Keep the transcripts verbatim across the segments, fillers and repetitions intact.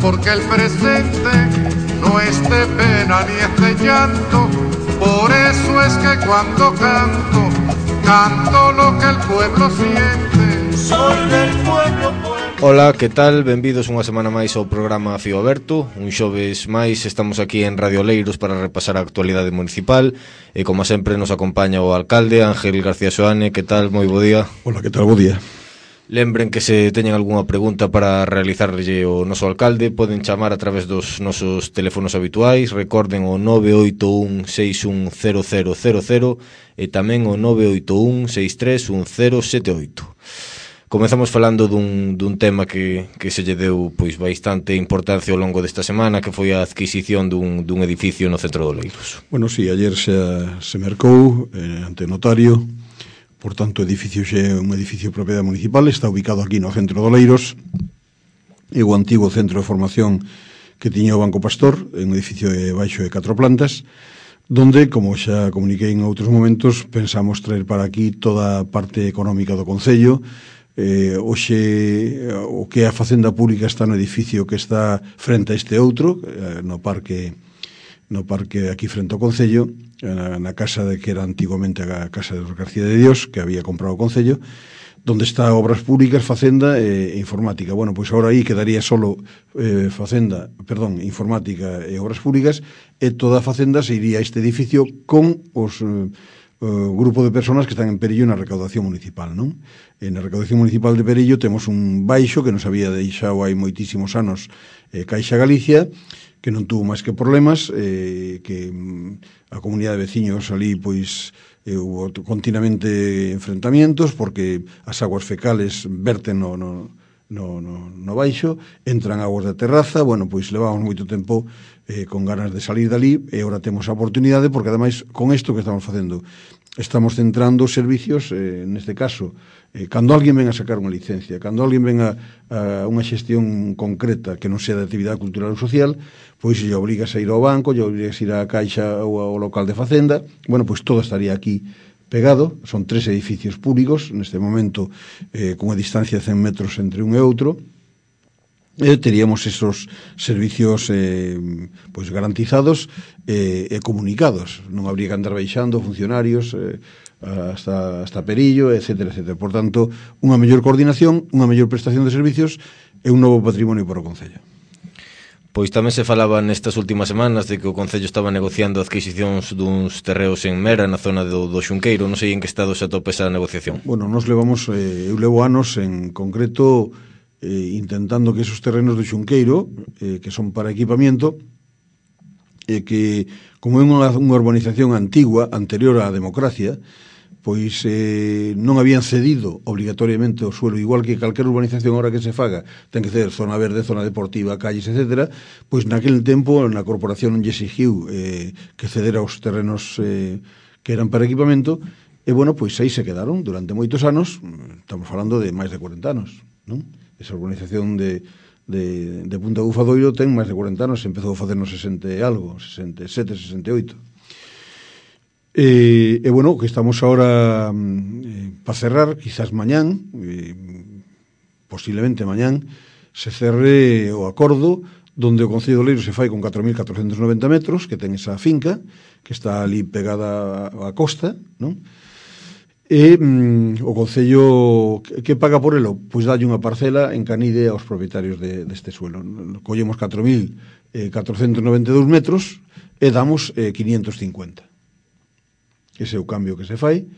porque el presente no es de pena ni es de llanto. Por eso es que cuando canto, canto lo que el pueblo siente. Soy del pueblo, pueblo. Ola, que tal? Benvidos unha semana máis ao programa Fío Aberto. Un xoves máis estamos aquí en Radio Oleiros para repasar a actualidade municipal. E como sempre nos acompaña o alcalde Ángel García Soane. Que tal? Moi bo día. Ola, que tal? Bo día. Lembren que se teñen algunha pregunta para realizarlle o noso alcalde, poden chamar a través dos nosos teléfonos habituais. Recorden o nove oito un seis un cero cero cero cero e tamén o nove oito un seis tres un cero sete oito. Comezamos falando dun, dun tema que, que se lle deu pois bastante importancia ao longo desta semana, que foi a adquisición dun, dun edificio no centro de Oleiros. Bueno, sí, ayer se, se mercou eh, ante notario. Por tanto, o edificio xe é un edificio de propiedade municipal, está ubicado aquí no centro de Oleiros, é o antigo centro de formación que tiña o Banco Pastor, é un edificio de baixo de catro plantas, donde, como xa comuniquei en outros momentos, pensamos traer para aquí toda a parte económica do Concello. Eh, hoxe o que é a facenda pública está no edificio que está frente a este outro, eh, no parque no parque aquí frente ao Concello, na, na casa de que era antiguamente a casa de García de Dios, que había comprado o Concello, donde está obras públicas, facenda e, e informática. Bueno, pois agora aí quedaría solo eh, facenda, perdón, informática e obras públicas, e toda a facenda se iría a este edificio con os eh, o grupo de personas que están en Perillo na recaudación municipal, non? En a recaudación municipal de Perillo temos un baixo que nos había deixado hai moitísimos anos eh, Caixa Galicia, que non tuvo máis que problemas, eh, que mm, a comunidade de veciños ali, pois, eh, hubo continuamente enfrentamientos, porque as aguas fecales verten no, no, no, no, no baixo, entran aguas da terraza, bueno, pois levamos moito tempo eh, con ganas de salir dali, e agora temos a oportunidade, porque ademais, con isto que estamos facendo, estamos centrando os servicios, eh, neste caso, eh, cando alguén ven a sacar unha licencia, cando alguén ven a, a unha xestión concreta que non sea de actividade cultural ou social, pois lle obrigas a ir ao banco, lle obrigas a ir á caixa ou ao local de facenda, bueno, pois todo estaría aquí pegado. Son tres edificios públicos, neste momento, eh, con unha distancia de cen metros entre un e outro, e teríamos esos servicios eh, pois garantizados e eh, comunicados. Non habría que andar baixando funcionarios eh, hasta, hasta Perillo, etcétera, etcétera. Por tanto, unha mellor coordinación, unha mellor prestación de servicios e un novo patrimonio para o Concello. Pois tamén se falaba nestas últimas semanas de que o Concello estaba negociando adquisicións duns terreos en Mera, na zona do, do Xunqueiro. Non sei en que estado se atopa esa negociación. Bueno, nos levamos, eh, eu levo anos en concreto eh, intentando que esos terrenos do Xunqueiro, eh, que son para equipamiento, e eh, que, como é unha, unha urbanización antigua, anterior á democracia, pois eh, non habían cedido obligatoriamente o suelo, igual que calquera urbanización ahora que se faga, ten que ser zona verde, zona deportiva, calles, etcétera, pois naquele tempo na corporación non lle exigiu eh, que cedera os terrenos eh, que eran para equipamento, e bueno, pois aí se quedaron durante moitos anos, estamos falando de máis de corenta anos, non? Esa urbanización de, de, de Punta Bufadoiro ten máis de corenta anos, se empezou a facer no sesenta e algo, sesenta e sete, sesenta e oito. E, e bueno, que estamos ahora eh, para cerrar, quizás mañán, eh, posiblemente mañán, se cerre o acordo donde o Concello de Oleiros se fai con catro mil catrocentos noventa metros, que ten esa finca, que está ali pegada á costa, non? E mm, o Concello que, que paga por elo? Pois dalle unha parcela en Canide aos propietarios de, deste suelo. Collemos catro mil catrocentos noventa e dous metros e damos eh, quinientos cincuenta. Ese é o cambio que se fai.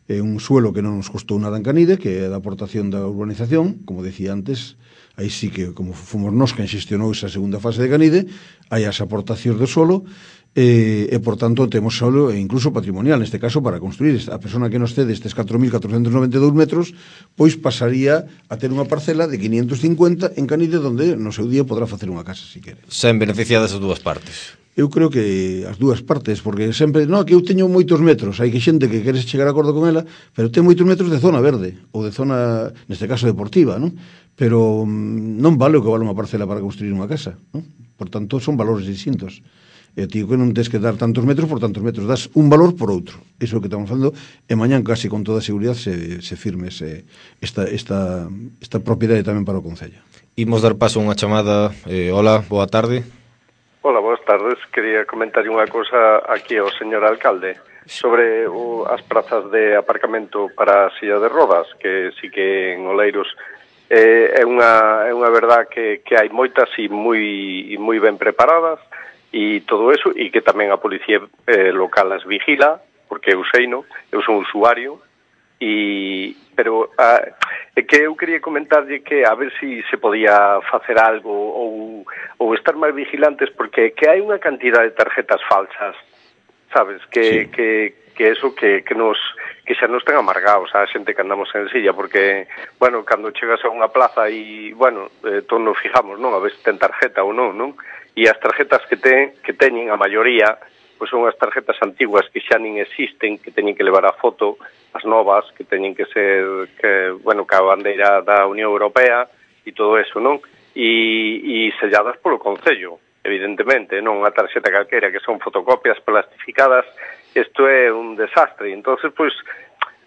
É un suelo que non nos costou nada en Canide, que é da aportación da urbanización, como decía antes. Aí sí que, como fomos nós quen xestionou esa segunda fase de Canide, hai as aportacións do solo, e, e por tanto temos solo e incluso patrimonial, neste caso para construir. A persona que nos cede estes catro mil catrocentos noventa e dous metros, pois pasaría a ter unha parcela de quinientos cincuenta en Canide, donde no seu día podrá facer unha casa, se quere. Sen beneficiadas as dúas partes. Eu creo que as dúas partes, porque sempre, non, que eu teño moitos metros, hai que xente que queres chegar a acordo con ela, pero ten moitos metros de zona verde, ou de zona, neste caso, deportiva, non? Pero non vale o que vale unha parcela para construir unha casa, non? Por tanto, son valores distintos. E tío que non tens que dar tantos metros por tantos metros, das un valor por outro. Iso é o que estamos falando, e mañán casi con toda a seguridade se, se firme ese, esta, esta, esta propiedade tamén para o Concello. Imos dar paso a unha chamada. eh, Hola, boa tarde. Hola, boas tardes. Quería comentar unha cosa aquí ao señor alcalde sobre o, as prazas de aparcamento para a silla de rodas, que sí que en Oleiros eh, é unha é unha verdad que, que hai moitas e moi, e moi ben preparadas e todo eso, e que tamén a policía eh, local as vigila, porque eu sei, no? Eu son usuario. E, pero a, é que eu quería comentarlle que a ver se si se podía facer algo ou, ou estar máis vigilantes, porque que hai unha cantidad de tarjetas falsas, sabes, que, sí. que, que eso que, que nos que xa nos ten amargados a xente que andamos en silla, porque, bueno, cando chegas a unha plaza e, bueno, eh, todos nos fijamos, non, a ver se ten tarjeta ou non, non? E as tarjetas que ten, que teñen a maioría, pois son as tarjetas antiguas que xa nin existen, que teñen que levar a foto, as novas, que teñen que ser, que, bueno, que a bandeira da Unión Europea e todo eso, non? E, e selladas polo Concello, evidentemente, non unha tarxeta calquera, que son fotocopias plastificadas. Isto é un desastre. Entonces, pois,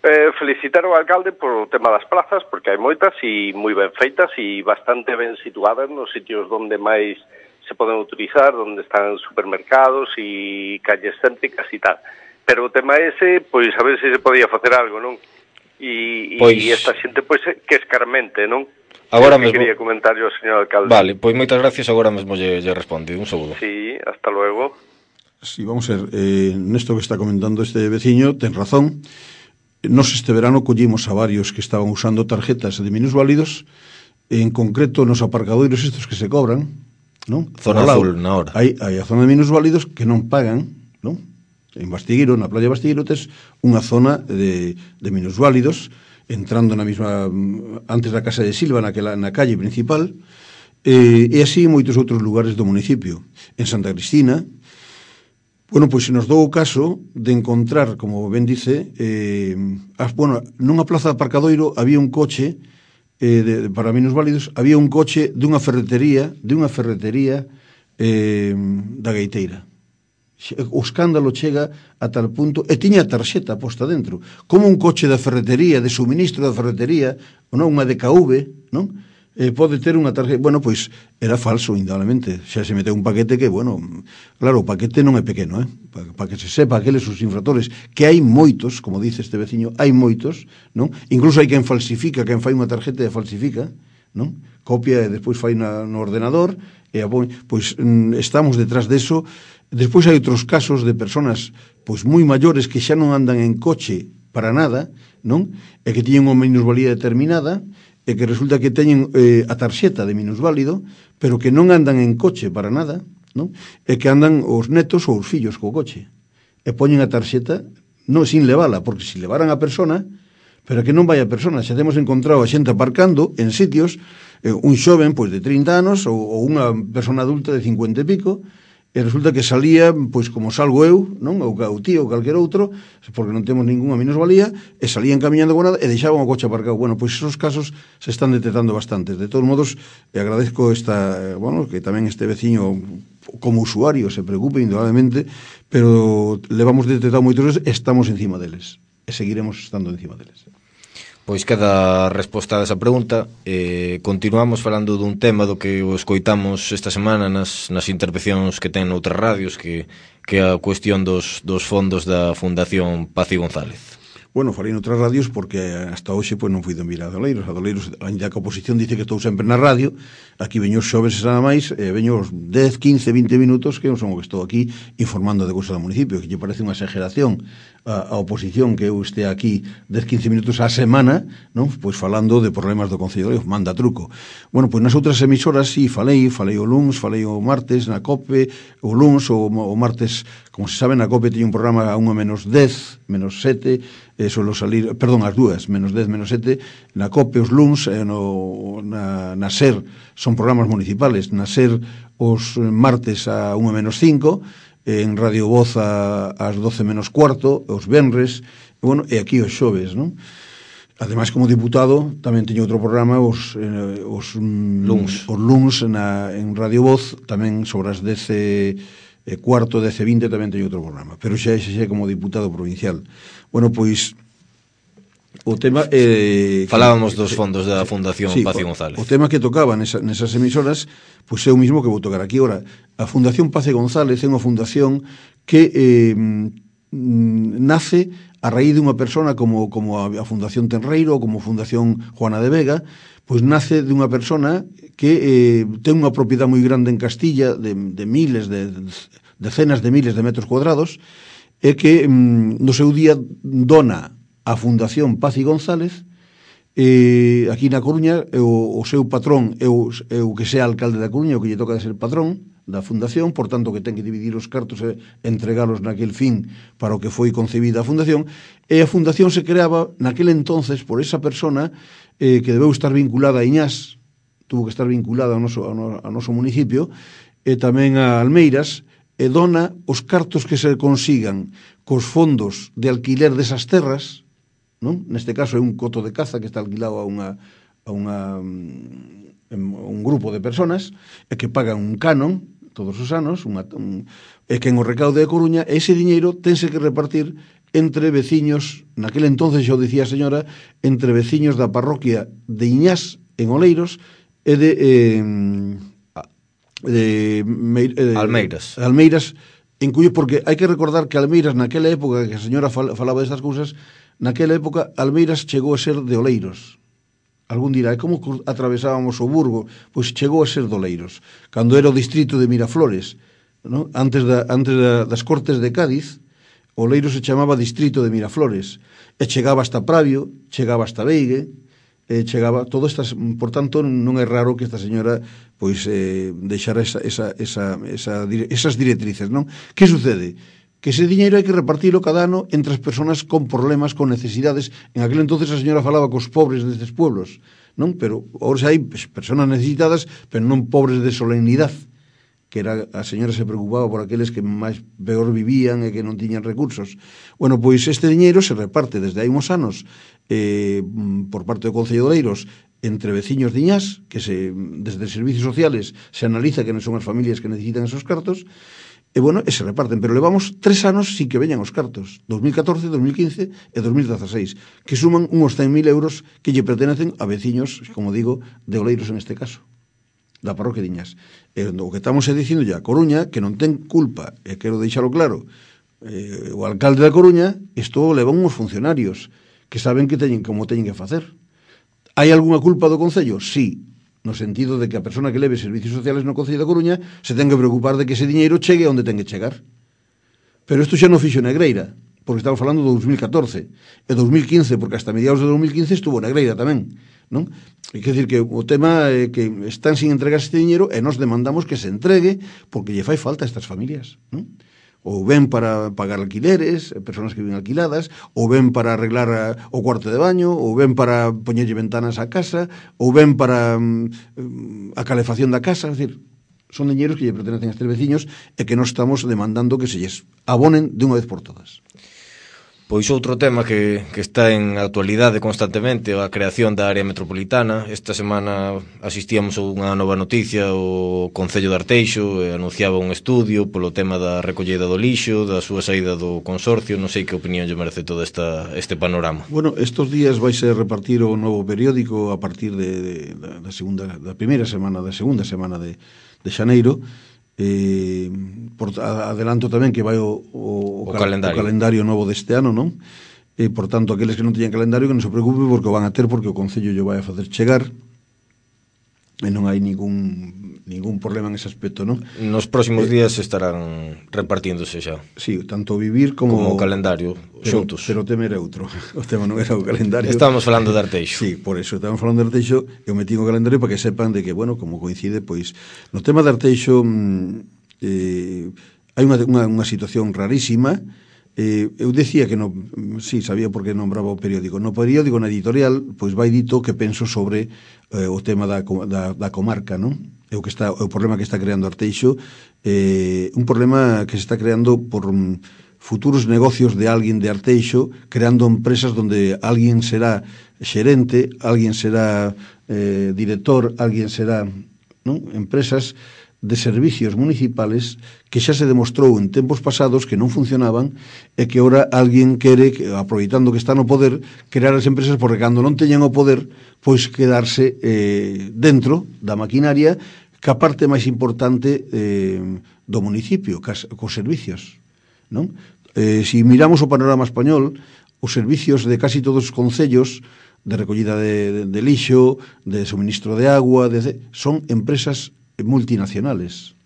eh, felicitar ao alcalde por o tema das plazas, porque hai moitas e moi ben feitas e bastante ben situadas nos sitios onde máis se poden utilizar, onde están supermercados e calles céntricas e tal. Pero o tema ese, pois a ver se se podía facer algo, non? E, pois... e esta xente, pois, que escarmente, non? Agora mesmo quería comentar yo ao señor alcalde. Vale, pois moitas gracias, agora mesmo lle, lle responde. Un saúdo. Sí, hasta luego. Sí, vamos a ver, eh, nesto que está comentando este veciño, ten razón. Nos este verano collimos a varios que estaban usando tarjetas de minusválidos, en concreto nos aparcadoiros estos que se cobran, non? Zona azul, na hora. Hai, hai a zona de minusválidos que non pagan, non? En Bastiguiro, na playa de Bastiguiro, tes unha zona de, de minusválidos, entrando na mesma, antes da casa de Silva, naquela, na calle principal, eh, e así moitos outros lugares do municipio. En Santa Cristina, bueno, pois se nos dou o caso de encontrar, como ben dice, eh, as, bueno, nunha plaza de aparcadoiro había un coche eh, de, para minusválidos, había un coche dunha ferretería, dunha ferretería eh, da Gaiteira. O escándalo chega a tal punto, e tiña a tarxeta posta dentro, como un coche da ferretería, de suministro da ferretería, ou non, unha D K V, non? Eh, pode ter unha tarjeta, bueno, pois era falso, indudablemente, xa se meteu un paquete que, bueno, claro, o paquete non é pequeno, eh? Para pa que se sepa aqueles os infractores, que hai moitos, como dice este veciño, hai moitos, non? Incluso hai quen falsifica, quen fai unha tarjeta e falsifica, non? Copia e despois fai na, no ordenador, e a, pois mm, estamos detrás deso. Despois hai outros casos de personas pois moi maiores que xa non andan en coche para nada, non? E que tiñen unha minusvalía determinada e que resulta que teñen eh, a tarxeta de minusválido, pero que non andan en coche para nada, non? E que andan os netos ou os fillos co coche. E poñen a tarxeta non sin levala, porque se levaran a persona, pero que non vai a persona. Xa temos encontrado a xente aparcando en sitios, eh, un xoven pois de trinta anos ou, ou unha persona adulta de cincuenta e pico, e resulta que salía, pois como salgo eu, non? Ou o tío ou calquer outro, porque non temos ningunha minusvalía, e salían camiñando con nada e deixaban o coche aparcado. Bueno, pois esos casos se están detectando bastantes. De todos modos, e agradezco esta, bueno, que tamén este veciño como usuario se preocupe indudablemente, pero levamos detectado moitos, estamos encima deles e seguiremos estando encima deles. Pois queda resposta a esa pregunta. eh, Continuamos falando dun tema do que o escoitamos esta semana nas, nas intervencións que ten noutras radios, que, que é a cuestión dos, dos fondos da Fundación Paz y González. Bueno, falei noutras radios porque hasta hoxe pois, non fui de mirar a Doleiros. A Doleiros, ainda que a oposición dice que estou sempre na radio, aquí veño os xoves e nada máis, e veño os dez, quince, vinte minutos que non son o que estou aquí informando de cousas do municipio, que lle parece unha exageración a, a oposición que eu este aquí dez, quince minutos á semana, non? Pois falando de problemas do Concello de Oleiros, manda truco. Bueno, pois nas outras emisoras sí, falei, falei o luns, falei o martes na COPE, o luns, o, o martes, como se sabe, na COPE teño un programa a unha menos dez, menos sete, e solo salir, perdón, as dúas, menos dez, menos sete, na COPE os luns, e no, na, na SER son programas municipales, na SER os martes a unha menos cinco, en Radio Voz a, as doce menos cuarto, os venres, e, bueno, e aquí os xoves, non? Ademais, como diputado, tamén teño outro programa os, eh, os luns, os luns na, en Radio Voz, tamén sobre as dez e cuarto, dez e vinte, tamén teño outro programa, pero xa xa como diputado provincial. Bueno, pois o tema eh, falábamos que, dos fondos da Fundación sí, Paz y González. O, o tema que tocaba nesa, nesas emisoras, pois é o mismo que vou tocar aquí. Ora, a Fundación Paz y González é unha fundación que eh, nace a raíz dunha persona como, como a, a Fundación Tenreiro ou como Fundación Juana de Vega, pois nace dunha persona que eh, ten unha propiedade moi grande en Castilla de, de miles, de, de decenas de miles de metros cuadrados, e que mm, no seu día dona a Fundación Paz y González, eh, aquí na Coruña, o, o seu patrón é o, é o que sea alcalde da Coruña, o que lle toca de ser patrón da fundación, por tanto que ten que dividir os cartos e entregalos naquel fin para o que foi concebida a fundación, e a fundación se creaba naquel entonces por esa persona eh, que debeu estar vinculada a Iñás, tuvo que estar vinculada ao noso, ao, no, ao noso municipio, e tamén a Almeiras, e dona os cartos que se consigan cos fondos de alquiler desas terras, non? Neste caso é un coto de caza que está alquilado a unha a unha un grupo de personas e que pagan un canon todos os anos, unha, un, e que en o recaude de Coruña ese diñeiro tense que repartir entre veciños, naquel entonces xo dicía a señora, entre veciños da parroquia de Iñás en Oleiros e de eh, de, de Almeiras. Almeiras, en cuyo, porque hai que recordar que Almeiras naquela época que a señora fal, falaba destas cousas, naquela época Almeiras chegou a ser de Oleiros. Algún dirá, e como atravesábamos o Burgo? Pois chegou a ser de Oleiros, cando era o distrito de Miraflores, ¿no? Antes, da, antes da, das Cortes de Cádiz, Oleiros se chamaba distrito de Miraflores, e chegaba hasta Pravio, chegaba hasta Veigue, e chegaba todo estas, por tanto non é raro que esta señora pois eh, deixara esa, esa, esa, esa, esas directrices, non? Que sucede? Que ese diñeiro hai que repartilo cada ano entre as persoas con problemas, con necesidades. En aquel entonces a señora falaba cos pobres destes pueblos, non? Pero ahora hai persoas necesitadas, pero non pobres de solemnidade, que era, a señora se preocupaba por aqueles que máis peor vivían e que non tiñan recursos. Bueno, pois este diñeiro se reparte desde hai uns anos eh, por parte do Concello de Oleiros entre veciños de Iñás, que se, desde servicios sociales se analiza que non son as familias que necesitan esos cartos, e bueno, e se reparten, pero levamos tres anos sin que veñan os cartos, dos mil catorce, dos mil quince e dos mil dieciséis, que suman uns cen mil euros que lle pertenecen a veciños, como digo, de Oleiros en este caso, da parroquia de Iñás. E o que estamos dicindo ya, Coruña, que non ten culpa, e quero deixalo claro, eh, o alcalde da Coruña, isto leva uns funcionarios que saben que teñen como teñen que facer. Hai algunha culpa do Concello? Sí, no sentido de que a persona que leve servicios sociales no Concello da Coruña se ten que preocupar de que ese diñeiro chegue onde ten que chegar. Pero isto xa non fixo Negreira, porque estamos falando do dos mil catorce, e dos mil quince, porque hasta mediados de dos mil quince estuvo Negreira tamén, non? É que decir que o tema é que están sin entregar este diñeiro e nos demandamos que se entregue porque lle fai falta a estas familias, non? Ou ben para pagar alquileres, persoas que viven alquiladas, ou ben para arreglar a, o cuarto de baño, ou ben para poñerlle ventanas á casa, ou ben para um, a calefacción da casa. É dicir, son diñeiros que lle pertenecen a estes veciños e que non estamos demandando que se lles abonen de unha vez por todas. Pois outro tema que, que está en actualidade constantemente é a creación da área metropolitana. Esta semana asistíamos a unha nova noticia. O Concello de Arteixo anunciaba un estudio polo tema da recollida do lixo, da súa saída do consorcio. Non sei que opinión lle merece todo esta, este panorama. Bueno, estos días vais a repartir o novo periódico a partir de, de, da, segunda, da primeira semana, da segunda semana de, de xaneiro. Eh, por, adelanto tamén que vai o, o, o, cal, calendario. o calendario novo deste ano, non? E, por tanto, aqueles que non teñan calendario que non se preocupe porque o van a ter, porque o Concello lle vai a facer chegar e non hai ningún ningún problema en ese aspecto, non? Nos próximos eh, días estarán repartíndose xa. Sí, tanto o vivir como, como o calendario pero, xuntos. Pero o tema era outro. O tema non era o calendario. Estamos falando de Arteixo. Sí, por eso estamos falando de Arteixo. Eu metí o calendario para que sepan de que, bueno, como coincide, pois no tema de Arteixo eh, hai unha, unha, unha situación rarísima. Eh, eu decía que no, sí, sabía por que nombraba o periódico. No periódico, na editorial, pois vai dito que penso sobre eh, o tema da, da, da comarca, non? É o que está, o problema que está creando Arteixo, eh, un problema que se está creando por um, futuros negocios de alguén de Arteixo, creando empresas donde alguén será xerente, alguén será eh, director, alguén será, non? Empresas de servicios municipales que xa se demostrou en tempos pasados que non funcionaban e que ora alguén quere, aproveitando que está no poder, crear as empresas porque cando non teñan o poder, pois quedarse eh, dentro da maquinaria que a parte máis importante eh, do municipio, cas, cos servicios, non? Eh, si miramos o panorama español, os servicios de casi todos os concellos de recollida de, de, de lixo, de suministro de agua, de, son empresas multinacionales.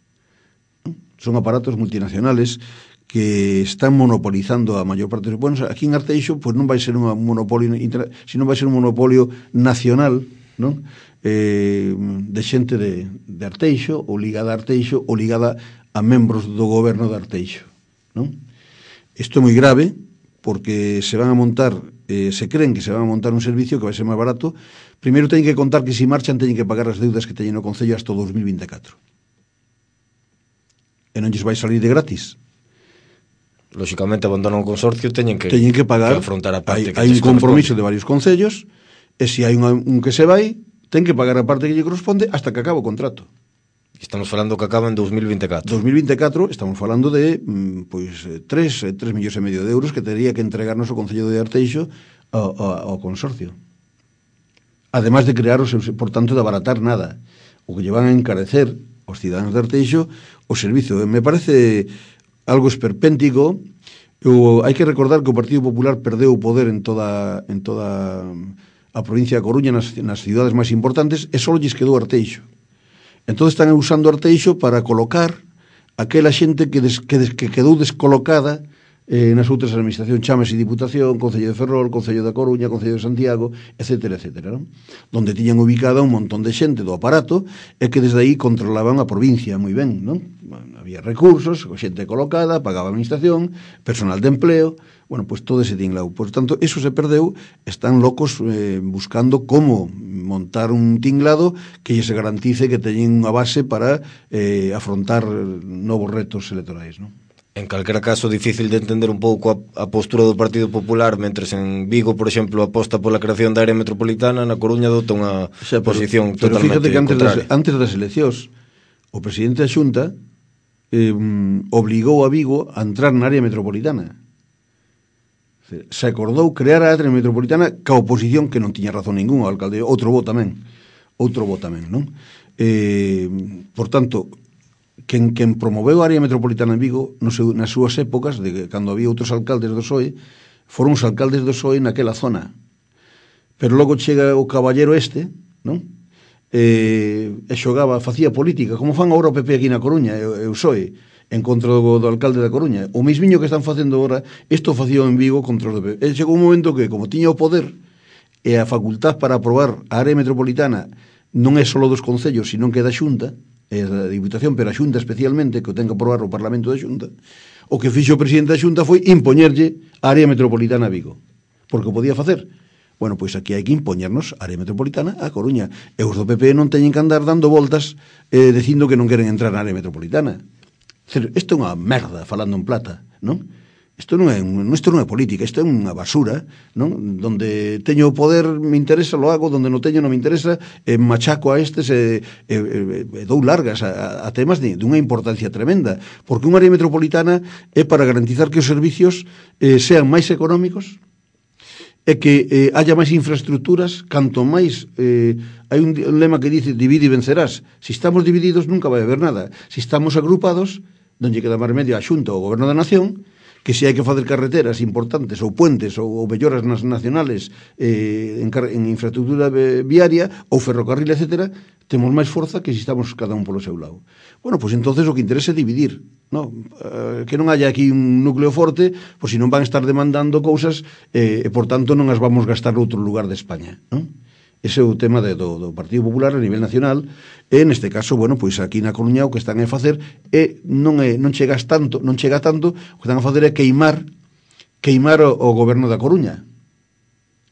Son aparatos multinacionales que están monopolizando a maior parte. Bueno, aquí en Arteixo, pues non vai ser un monopolio, sino vai ser un monopolio nacional, non? Eh, de xente de, de Arteixo, ou ligada a Arteixo, ou ligada a membros do goberno de Arteixo, non? Isto é moi grave, porque se van a montar, eh, se creen que se van a montar un servicio que vai ser máis barato. Primeiro teñen que contar que se marchan teñen que pagar as deudas que teñen no Concello hasta o dos mil vinte e catro. E non lles vai salir de gratis. Lóxicamente abandonan o consorcio, teñen que, teñen que pagar, que afrontar a parte hai, que hai un compromiso corresponde. de varios concellos, e se hai un, un que se vai, ten que pagar a parte que lle corresponde hasta que acaba o contrato. Estamos falando que acaba en dos mil vinte e catro. dos mil vinte e catro estamos falando de pois tres millóns e medio de euros que tería que entregarnos o Concello de Arteixo ao, ao, ao consorcio. Ademais de crear, os, por tanto, de abaratar nada. O que lle van a encarecer aos cidadáns de Arteixo o servizo. Me parece algo esperpéntico. O, hai que recordar que o Partido Popular perdeu o poder en toda en toda a provincia de Coruña, nas, nas cidades máis importantes, e só lles quedou Arteixo. Entón están usando Arteixo para colocar aquela xente que, des, que, des, que quedou descolocada eh, nas outras administracións, chámese Diputación, Concello de Ferrol, Concello da Coruña, Concello de Santiago, etcétera, etcétera, non? Donde tiñan ubicada un montón de xente do aparato e que desde aí controlaban a provincia moi ben, non? Bueno, había recursos, xente colocada, pagaba a administración, personal de empleo, bueno, pois pues todo ese tinglao. Por tanto, eso se perdeu, están locos eh, buscando como montar un tinglado que lle se garantice que teñen unha base para eh, afrontar novos retos electorais, non? En calquera caso, difícil de entender un pouco a, a postura do Partido Popular, mentres en Vigo, por exemplo, aposta pola creación da área metropolitana, na Coruña adopta unha o sea, pero, posición pero totalmente fíjate que antes contraria. das, antes das eleccións, o presidente da Xunta eh, obligou a Vigo a entrar na área metropolitana. Se acordou crear a área metropolitana ca oposición, que non tiña razón ningún, o alcalde, outro bo tamén, outro bo tamén, non? Eh, por tanto, Quen, quen promoveu a área metropolitana en Vigo no seu, nas súas épocas, de cando había outros alcaldes do P S O E, foron os alcaldes do P S O E naquela zona. Pero logo chega o caballero este, non? E, e xogaba, facía política, como fan agora o P P aquí na Coruña, e, e o P S O E, en contra do, do alcalde da Coruña. O mismiño que están facendo agora, isto facía en Vigo contra o P P. E chegou un momento que, como tiña o poder e a facultad para aprobar a área metropolitana non é só dos concellos, sino que é da Xunta, é da Diputación, pero a Xunta especialmente, que o ten que aprobar o Parlamento da Xunta, o que fixo o presidente da Xunta foi impoñerlle a área metropolitana a Vigo, porque o podía facer. Bueno, pois aquí hai que impoñernos a área metropolitana a Coruña, e os do P P non teñen que andar dando voltas eh, dicindo que non queren entrar na área metropolitana. Isto é unha merda, falando en plata, non? Isto non é, isto non é política, isto é unha basura, non? Donde teño o poder, me interesa, lo hago, donde non teño, non me interesa, e machaco a estes e, e, e, e dou largas a, a temas de, de unha importancia tremenda, porque unha área metropolitana é para garantizar que os servicios eh, sean máis económicos e que eh, haya máis infraestructuras, canto máis eh, hai un, un lema que dice divide e vencerás. Si estamos divididos nunca vai haber nada. Si estamos agrupados, non lle queda máis medio a Xunta ou o Goberno da Nación, que se hai que facer carreteras importantes ou puentes ou, ou melloras nas nacionales eh, en, en infraestructura viaria ou ferrocarril, etcétera, temos máis forza que se estamos cada un polo seu lado. Bueno, pois pues entonces o que interesa é dividir, no? Uh, que non haya aquí un núcleo forte, pois pues, se non van a estar demandando cousas eh, e por tanto non as vamos gastar noutro lugar de España, non? Ese é o tema de, do, do Partido Popular a nivel nacional, e neste caso, bueno, pois aquí na Coruña o que están a facer é non é non chegas tanto, non chega tanto, o que están a facer é queimar queimar o, o goberno da Coruña.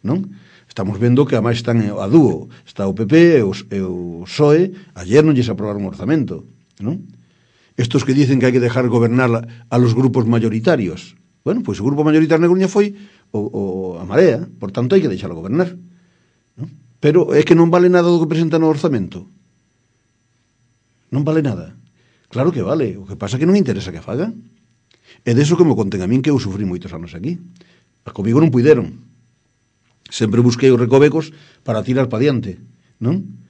Non? Estamos vendo que ademais están a dúo, está o P P e o, e o P S O E, ayer non lles aprobaron un orzamento, non? Estos que dicen que hai que dejar gobernar a, a los grupos mayoritarios. Bueno, pois o grupo mayoritario na Coruña foi o, o a Marea, por tanto hai que deixarlo gobernar. Pero é que non vale nada do que presenta no orzamento. Non vale nada. Claro que vale, o que pasa é que non interesa que faga. E deso que me conten a min, que eu sufrí moitos anos aquí. A comigo non puideron. Sempre busquei os recovecos para tirar pa diante, non?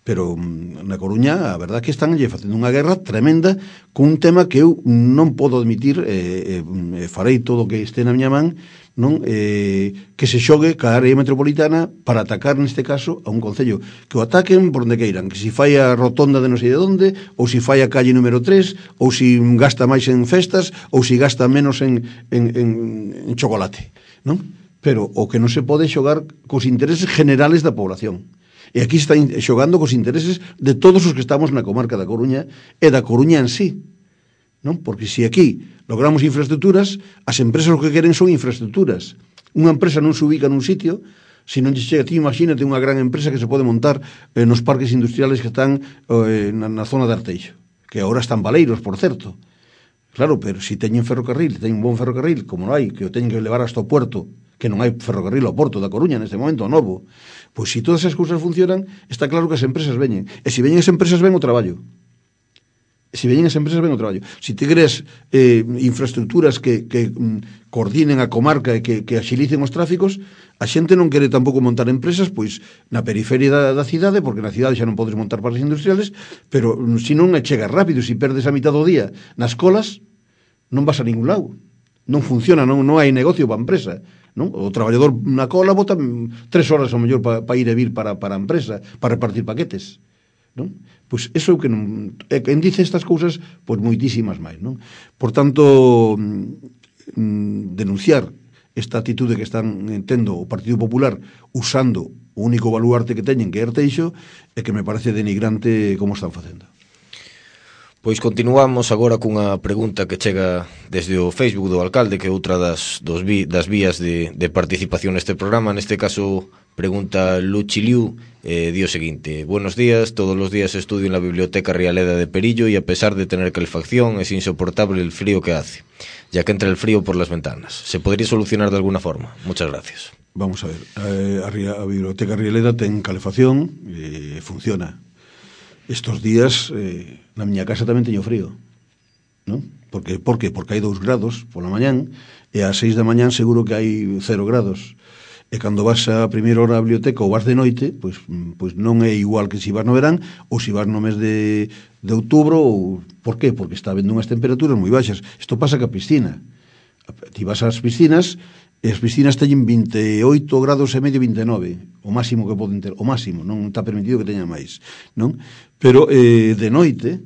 Pero na Coruña, a verdade que están lle facendo unha guerra tremenda con un tema que eu non podo admitir, e eh, eh, farei todo o que este na miña man, non eh, que se xogue ca área metropolitana para atacar, neste caso, a un concello. Que o ataquen por onde queiran, que si fai a rotonda de non sei de onde, ou si fai a calle número tres, ou si gasta máis en festas, ou si gasta menos en, en, en, en chocolate, non? Pero o que non se pode xogar cos intereses generales da población. E aquí está xogando cos intereses de todos os que estamos na comarca da Coruña e da Coruña en sí, non? Porque se aquí logramos infraestructuras, as empresas o que queren son infraestructuras. Unha empresa non se ubica nun sitio, se non lle chega, ti imagínate unha gran empresa que se pode montar eh, nos parques industriales que están eh, na, na zona de Arteixo, que agora están baleiros, por certo. Claro, pero se teñen ferrocarril, teñen un bon ferrocarril, como non hai, que o teñen que levar hasta o puerto, que non hai ferrocarril ao Porto da Coruña neste momento, novo. Pois se todas esas cousas funcionan, está claro que as empresas veñen. E se veñen as empresas, ven o traballo. E se veñen as empresas, ven o traballo. Se te crees eh, infraestructuras que, que mm, coordinen a comarca e que, que axilicen os tráficos, a xente non quere tampouco montar empresas pois na periferia da, da cidade, porque na cidade xa non podes montar parques industriales, pero mm, se non chegas rápido, se perdes a mitad do día nas colas, non vas a ningún lado. Non funciona, non, non hai negocio para a empresa. Non? O traballador na cola bota tres horas ao mellor para pa ir e vir para, para a empresa, para repartir paquetes, non? Pois eso é o que non, é, quen dice estas cousas, pois moitísimas máis, non? Por tanto, mm, denunciar esta atitude que están tendo o Partido Popular usando o único baluarte que teñen, que é Arteixo, é que me parece denigrante como están facendo. Pois continuamos agora cunha pregunta que chega desde o Facebook do alcalde, que é outra das, dos vi, das vías de, de participación neste programa. Neste caso, pregunta Luchiliu, eh, di o seguinte: buenos días, todos los días estudio en la Biblioteca Rialeda de Perillo y a pesar de tener calefacción es insoportable el frío que hace, ya que entra el frío por las ventanas. ¿Se podría solucionar de alguna forma? Muchas gracias. Vamos a ver, eh, a, a Biblioteca Rialeda ten calefacción e eh, funciona. Estos días eh, na miña casa tamén teño frío, non? Porque, por qué? Porque hai dous grados pola mañán e ás seis da mañán seguro que hai cero grados. E cando vas a primeira hora á biblioteca ou vas de noite, pois, pois non é igual que se vas no verán ou se vas no mes de, de outubro. Ou, por qué? Porque está habendo unhas temperaturas moi baixas. Isto pasa ca piscina. Ti vas ás piscinas e as piscinas teñen vinte e oito grados e medio, vinte e nove, o máximo que poden ter, o máximo, non está permitido que teña máis, non? Pero eh, de noite,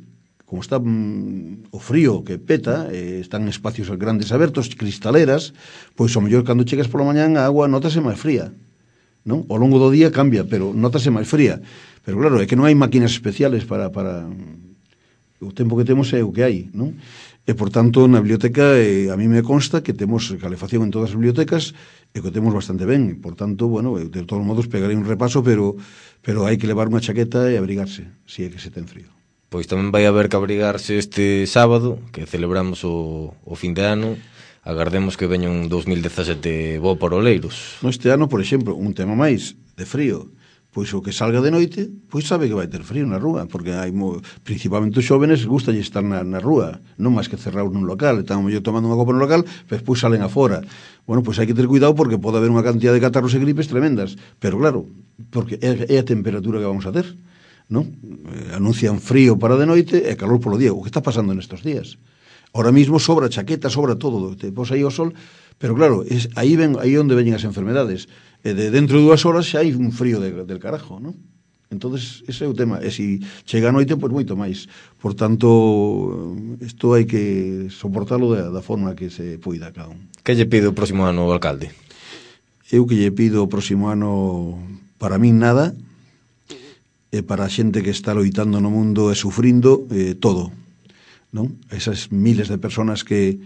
como está mm, o frío que peta, eh, están espacios grandes abertos, cristaleras, pois ao mellor cando chegas pola mañán a agua notase máis fría, non? Ao longo do día cambia, pero notase máis fría. Pero claro, é que non hai máquinas especiales para, para... o tempo que temos é o que hai, non? E, por tanto, na biblioteca eh, a mí me consta que temos calefacción en todas as bibliotecas e que temos bastante ben. Por tanto, bueno, de todos modos pegarei un repaso, pero pero hai que levar unha chaqueta e abrigarse, se é que se ten frío. Pois tamén vai haber que abrigarse este sábado, que celebramos o, o fin de ano. Agardemos que veña un dos mil dezasete bo para Oleiros. No, este ano, por exemplo, un tema máis de frío, pois o que salga de noite, pois sabe que vai ter frío na rúa, porque hai mo, principalmente os xóvenes gustalle estar na, na rúa, non máis que cerrados nun local, están mellor tomando unha copa no local, pero pois salen afora. Bueno, pois hai que ter cuidado porque pode haber unha cantidad de catarros e gripes tremendas, pero claro, porque é, é a temperatura que vamos a ter, non? Eh, anuncian frío para de noite e calor polo día, o que está pasando nestes días. Ahora mismo sobra chaqueta, sobra todo, te pos aí ao sol, pero claro, es, aí ven aí onde veñen as enfermedades. E de dentro de dúas horas xa hai un frío de, del carajo, non? Entonces, ese é o tema. E se chega a noite, pois moito máis. Por tanto, isto hai que soportalo da, da forma que se poida cada un. Que lle pide o próximo ano ao alcalde? Eu que lle pido o próximo ano, para min nada, e para a xente que está loitando no mundo e sufrindo, eh, todo, non? Esas miles de personas que,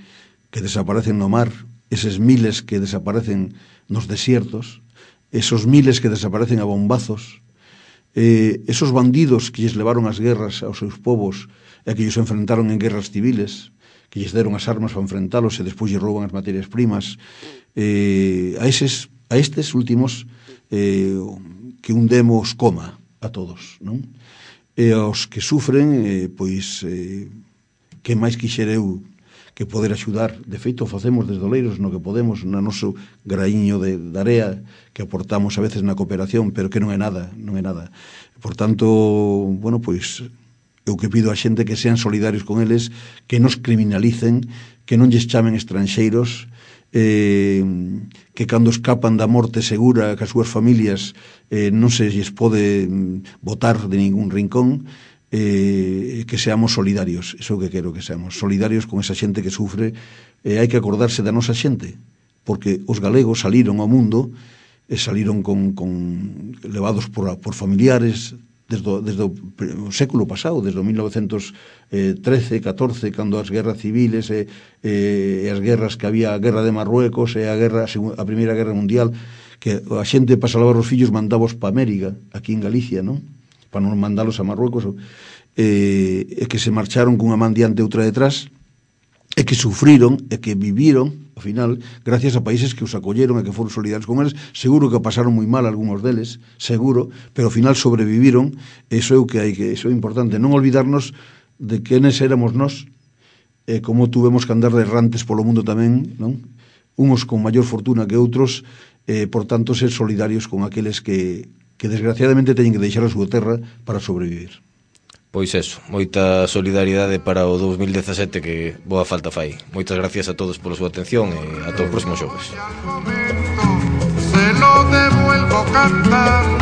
que desaparecen no mar, eses miles que desaparecen nos desiertos, esos miles que desaparecen a bombazos, eh, esos bandidos que lles levaron as guerras aos seus povos e que lles enfrentaron en guerras civiles, que lles deron as armas para enfrentalos e despois lles rouban as materias primas, eh, a eses a estes últimos eh, que un demo os coma a todos, non? e aos que sufren, eh, pois, eh, que máis quixera eu que poder axudar. De feito, facemos desde Oleiros no que podemos, no noso graíño de, de area que aportamos a veces na cooperación, pero que non é nada, non é nada. Por tanto, bueno, pois, eu que pido a xente que sean solidarios con eles, que nos criminalicen, que non lles chamen estranxeiros, eh, que cando escapan da morte segura que as súas familias eh, non se lles pode botar de ningún rincón, eh, que seamos solidarios. Iso é o que quero, que seamos solidarios con esa xente que sufre. Eh, hai que acordarse da nosa xente, porque os galegos saliron ao mundo e saliron con, con levados por, por familiares desde, desde o século pasado, desde o mil novecentos trece, catorce, cando as guerras civiles e, e as guerras que había, a guerra de Marruecos e a guerra a primeira guerra mundial, que a xente para salvar os fillos mandábos para América, aquí en Galicia, non? Para non mandalos a Marruecos, e, e que se marcharon cunha man diante e outra detrás, e que sufriron, e que viviron, ao final, gracias a países que os acolleron e que foron solidarios con eles. Seguro que pasaron moi mal algúns deles, seguro, pero ao final sobreviviron. Eso é o que hai que, eso é importante, non olvidarnos de quenes éramos nós, e como tuvemos que andar de errantes polo mundo tamén, non? Unos con maior fortuna que outros, e, por tanto, ser solidarios con aqueles que que desgraciadamente teñen que deixar a súa terra para sobrevivir. Pois eso, moita solidariedade para o dous mil dezasete, que boa falta fai. Moitas gracias a todos pola súa atención e ata o próximo xoves. Se lo devuelvo cantando